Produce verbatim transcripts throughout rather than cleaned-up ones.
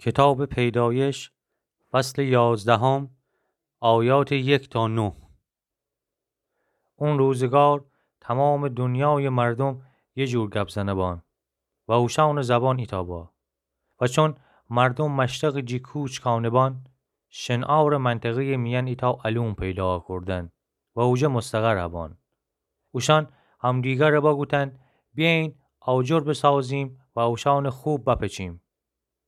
کتابٚ پیدایش، فصلٚ یازدهم، آیاتٚ یک تا نه. او روزگار تومامٚ دونیایٚ مردوم یه جور گب زنه بان و اوشأنٚ زبان ایتأ با. و چون مردوم مشرقٚ جی کوچ کأنه بان، شنعارٚ منطقه‌یٚ میأن ایتأ الون پیدا کوردن و اوجه مستقر بان. اوشأن همدیگره بگوتن: بیأیین آجر بسازیم و اوشأنٚ خوب بپچیم.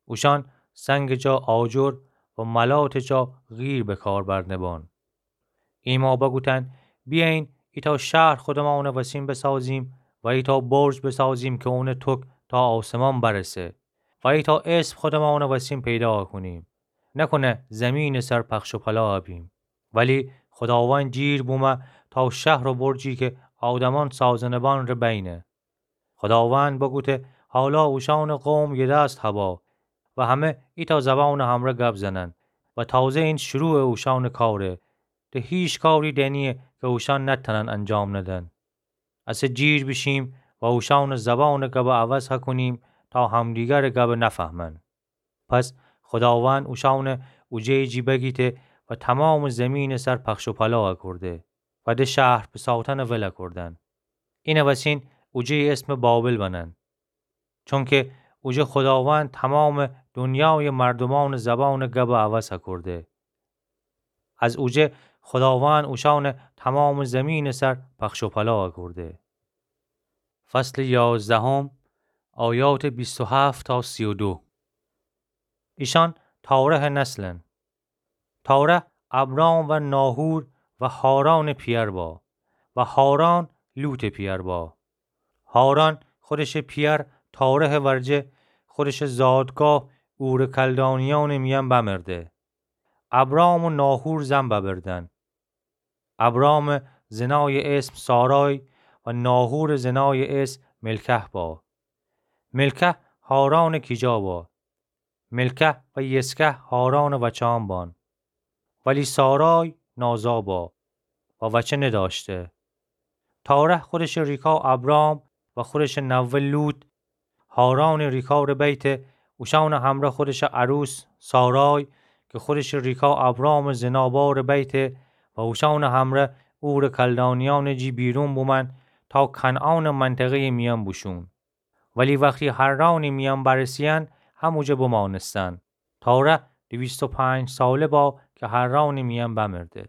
اوشأن سنگٚ جا آجر و ملاتٚ جا قیر به کار برنه بان. ایمأ بگوتن: بیأیین ایتأ شهر خودمأنٚ وسین بسازیم و ایتأ برج بسازیم که اونٚ تک تا آسمان برسه و ایتأ اسم خودمأنٚ وسین پیدا کونیم. نکنه زیمینٚ سر پخش و پلا بیم. ولی خوداوند جیر بومه تا شهر و برجی که آدمأن سازنه بان ره بینه. خوداوند بگوته: حالا اوشأنٚ قوم یه دست هبا و همه ایتأ زبانٚ همره گب زنن و تازه این شروعٚ اوشأنٚ کاره. ده هیچ کاری دنیه که اوشأن نتأنن انجام ندن. اسه جیر بیشیم و اوشأنٚ زبانٚ گبه عوض هکونیم تا همدیگرٚ گبه نفهمن. پس خوداوند اوشأنه اوجه جی بگیته و تومامٚ زیمینٚ سر پخش و پلا اکورده و ده شهر بساتنٚ ول اکوردن. اینٚ وسین اوجه اسمٚ بابل بنن. چونکه اوجه خوداوند تومامٚ دونیایٚ مردومأنٚ زبانٚ گبه عوض اکورده. از اوجه خوداوند اوشأنه تومامٚ زیمینٚ سر پخش و پلا اکورده. فصلٚ یازدهم، آیاتٚ بیست و هفت تا سی و دو. ایشأن تارحٚ نسلن. تارح ابرام و ناحور و حارانٚ پیأر با و حاران لوطٚ پیأر با. حاران خودشٚ پیأر تارحٚ ورجه خودشٚ زادگاه اورٚ کلدانیأنٚ میأن بمرده. ابرام و ناحور زن ببردن. ابرامٚ زنایٚ اسم سارای و ناحورٚ زنایٚ اسم ملکه با. ملکه حارانٚ کیجا با. ملکه و یسکه حارانٚ وچان بان. ولی سارای نازا با و وچه ندأشته. تارح خودشٚ ریکا ابرام و خودشٚ نوه لوط حارانٚ ریکا ره بیته، اوشأنٚ همره خودشٚ عروس سارای که خودشٚ ریکا ابرامٚ زنا با ره بیته و اوشأنٚ همره اورٚ کلدانیأنٚ جی بیرون بومأن تا کنعانٚ منطقه‌یٚ میأن بوشون. ولی وختی حرانٚ میأن برسیأن، هموجه بمأنستن. تارح دویست و پنج ساله با که حرانٚ میأن بمرده.